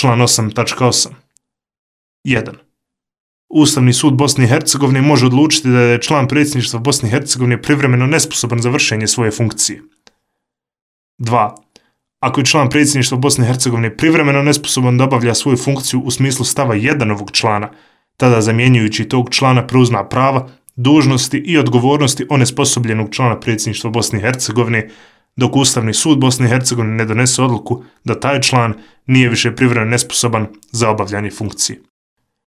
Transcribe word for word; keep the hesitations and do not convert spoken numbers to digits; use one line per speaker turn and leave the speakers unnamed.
Član osam tačka osam. jedan. Ustavni sud Bosne i Hercegovine može odlučiti da je član predsjedništva Bosne i Hercegovine privremeno nesposoban za vršenje svoje funkcije. dva. Ako je član predsjedništva Bosne i Hercegovine privremeno nesposoban da obavlja svoju funkciju u smislu stava jedan ovog člana, tada zamjenjujući tog člana preuzima prava, dužnosti i odgovornosti onesposobljenog člana predsjedništva Bosne i Hercegovine, dok Ustavni sud Bosne i Hercegovine ne donese odluku da taj član nije više privremeno nesposoban za obavljanje funkcije.